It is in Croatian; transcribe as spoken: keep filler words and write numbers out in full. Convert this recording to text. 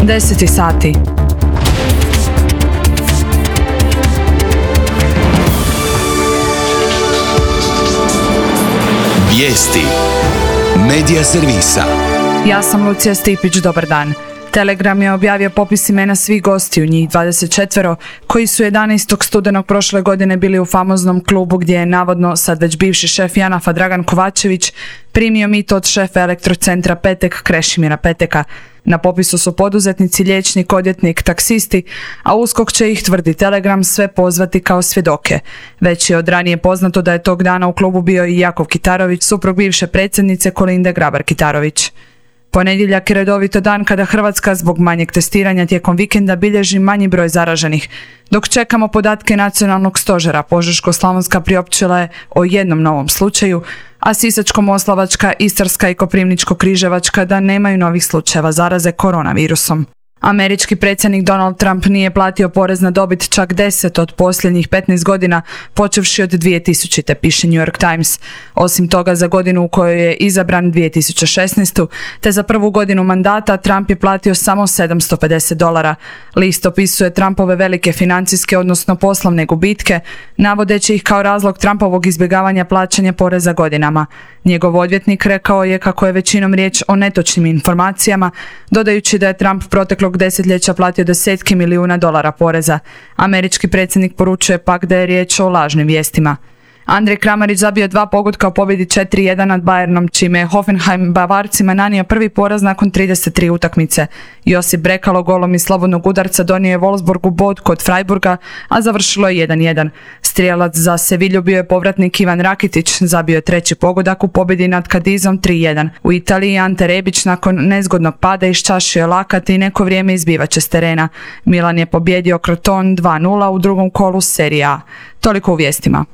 deset sati. Vijesti Medija servisa. Ja sam Lucija Stipić, dobar dan. Telegram je objavio popis imena svih gostiju, njih dvadeset četiri, koji su jedanaestog studenog prošle godine bili u famoznom klubu gdje je navodno sad već bivši šef Janafa Dragan Kovačević primio mito od šefa elektrocentra Petek Krešimira Peteka. Na popisu su poduzetnici, liječnik, odvjetnik, taksisti, a USKOK će ih, tvrdi Telegram, sve pozvati kao svjedoke. Već je od ranije poznato da je tog dana u klubu bio i Jakov Kitarović, suprug bivše predsjednice Kolinde Grabar-Kitarović. Ponedjeljak je redovito dan kada Hrvatska zbog manjeg testiranja tijekom vikenda bilježi manji broj zaraženih. Dok čekamo podatke nacionalnog stožera, Požeško-slavonska priopćila je o jednom novom slučaju, a Sisačko-moslavačka, Istarska i Koprivničko-križevačka da nemaju novih slučajeva zaraze koronavirusom. Američki predsjednik Donald Trump nije platio porez na dobit čak deset od posljednjih petnaest godina, počevši od dvije tisućite, piše New York Times. Osim toga, za godinu u kojoj je izabran dvije tisuće šesnaeste. te za prvu godinu mandata Trump je platio samo sedamsto pedeset dolara. List opisuje Trumpove velike financijske, odnosno poslovne gubitke, navodeći ih kao razlog Trumpovog izbjegavanja plaćanja poreza godinama. Njegov odvjetnik rekao je kako je većinom riječ o netočnim informacijama, dodajući da je Trump proteklog desetljeća platio desetke milijuna dolara poreza. Američki predsjednik poručuje pak da je riječ o lažnim vijestima. Andrej Kramarić zabio dva pogotka u pobjedi četiri jedan nad Bayernom, čime je Hoffenheim Bavarcima nanio prvi poraz nakon trideset tri utakmice. Josip Brekalo golom iz slobodnog udarca donio je Wolfsburgu bod kod Freiburga, a završilo je jedan jedan. Strijelac za Sevilju bio je povratnik Ivan Rakitić, zabio je treći pogodak u pobjedi nad Cadizom tri jedan. U Italiji Ante Rebić nakon nezgodnog pada iščašio je lakat i neko vrijeme izbivače s terena. Milan je pobjedio Crotone dva nula u drugom kolu Serije A. Toliko u vijestima.